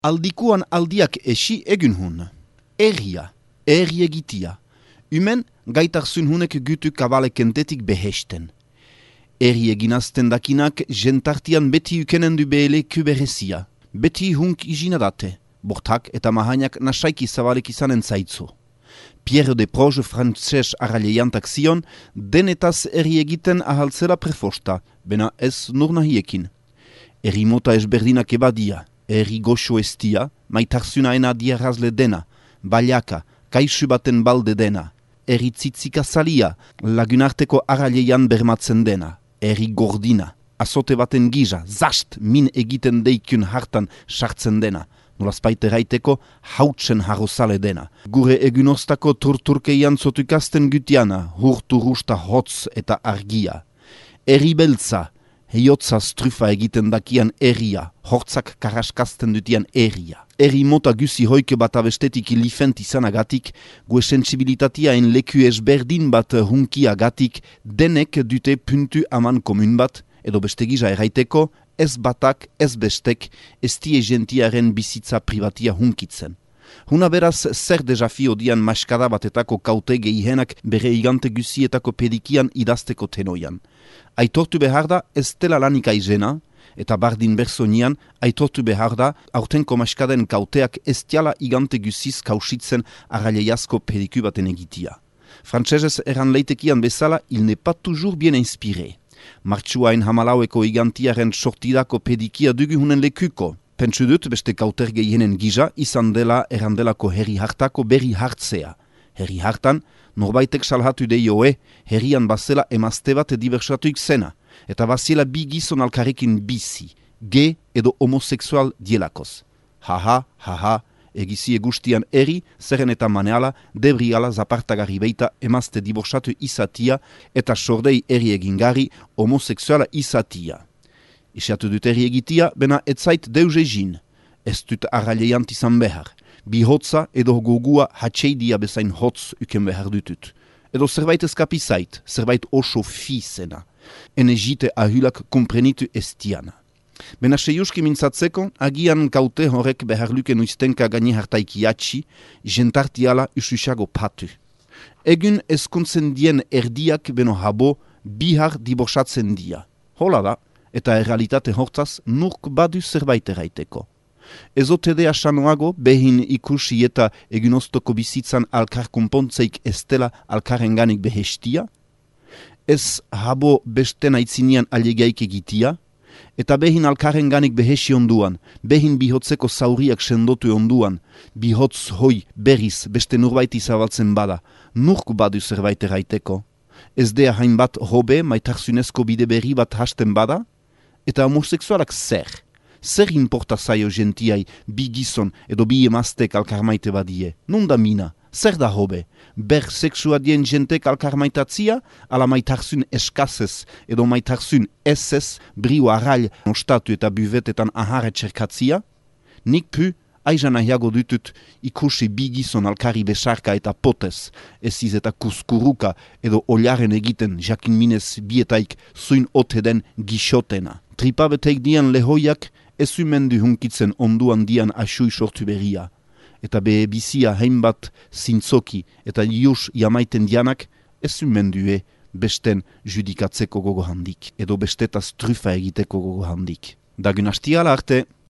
Aldikuan aldiak esi egun hun. Erria, erri egitia. Umen gaitarzun hunek gütu kabale kentetik behesten. Erri eginazten dakinak jentartian beti ukenen du behele kuberezia. Beti hunk izinadate. Bortak eta mahainak nasaiki zabalek izanen zaitzu. Pierre de Proge frantses arraileantak zion, denetaz erri egiten ahaltzera prefosta, bena ez nur nahiekin. Erri mota ezberdinak ebadia. Erri goxo estia, maitarzunaena diarrazle dena, baliaka, kaixu baten balde dena, erri tzitzika zalia, lagunarteko arrailean bermatzen dena, erri gordina, azote baten giza, zast min egiten deikun hartan sartzen dena, nolazpaite raiteko hautsen harrozale dena. Gure egunostako turturkeian zotukasten gutiana, hurtu rusta hotz eta argia. Erri beltza, heiotzaz trufa egiten dakian erria, hortzak karaskazten dutian erria. Erri mota guzi hoike bat abestetik ilifent izanagatik, gue sensibilitatia en leku ezberdin bat hunkiagatik, denek dute puntu aman komun bat, edo beste giza erraiteko, ez batak, ez bestek, ez tie gentiaren bizitza privatia hunkitzen. Huna beraz, zer desafio dian maskada batetako kaute gehihenak bere igante guzietako pedikian idazteko tenoian. Aitortu behar da ez dela lanik aizena, eta bardin bersonian aitortu behar da aurtenko maskaden kauteak ez diala igante guziz kausitzen arraileiazko pediku baten egitia. Frantsesez erran leitekian bezala, il n'est pas toujours bien inspiré. Martxuain hamalaueko igantiaren sortidako pedikia dugu hunen lekuko. Pentsu dut beste kauter gehienen giza izan dela errandelako herri hartako berri hartzea. Herri hartan, norbaitek salhatu deioe, herrian bazela emazte bat diversatuik zena, eta bazela bi gizon alkarekin bizi, ge edo homoseksual dielakoz. Haha, egizie guztian herri, zerren eta maneala, debriala zapartagarri beita emazte diborsatu izatia, eta sordei herri egingarri homoseksuala izatia. Isiatu dut erri egitia, bena etzait deus egin. Ez dut arraileant izan behar. Bi hotza edo gogua hatxeidia bezain hotz uken behar dutut. Edo zerbait eskapizait, zerbait oso fizena. Enegite ahulak komprenitu estiana. Bena seiuski mintzatzeko, agian kaute horrek behar luken uiztenka gani hartaikiatxi, jentartiala ususago patu. Egun eskuntzen dien erdiak beno habo, bihar diborsatzen dia. Hola da. Eta errealitate hortzaz nurk badu zerbait erraiteko. Ezotede asanoago behin ikusi eta egunostoko bizitzan alkar konpontzeik ez dela alkarenganik behestia? Ez habo beste naitzinean alegaik egitia? Eta behin alkarenganik behesi onduan, behin bihotzeko zauriak sendotu onduan, bihotz hoi berriz beste nurbaiti zabaltzen bada, nurk badu zerbait erraiteko? Ez dea hainbat hobe maitarzunezko bide berri bat hasten bada? Eta homoseksualak zer? Zer importa zaio gentiai bi gizon edo bi emaztek alkarmaite badie? Nunda mina? Zer da hobe? Ber seksua dien jentek alkarmaitatzia? Ala maitarzun eskazez edo maitarzun ezez brio arrail nostatu eta buvetetan ahare txerkatzia? Nik pu, aizan ahiago dutut ikusi bi gizon alkari besarka eta potez, eziz eta kuskuruka edo oliaren egiten jakin minez bietaik zuin ote den gixotena. Tripabeteik dian lehoiak ezumendu hunkitzen onduan dian asui sortu berria. Eta be bizia hainbat zintzoki eta ius jamaiten dianak ezumendue besten judikatzeko gogo handik, edo bestetaz trufa egiteko gogo handik. Dagun hastiala arte!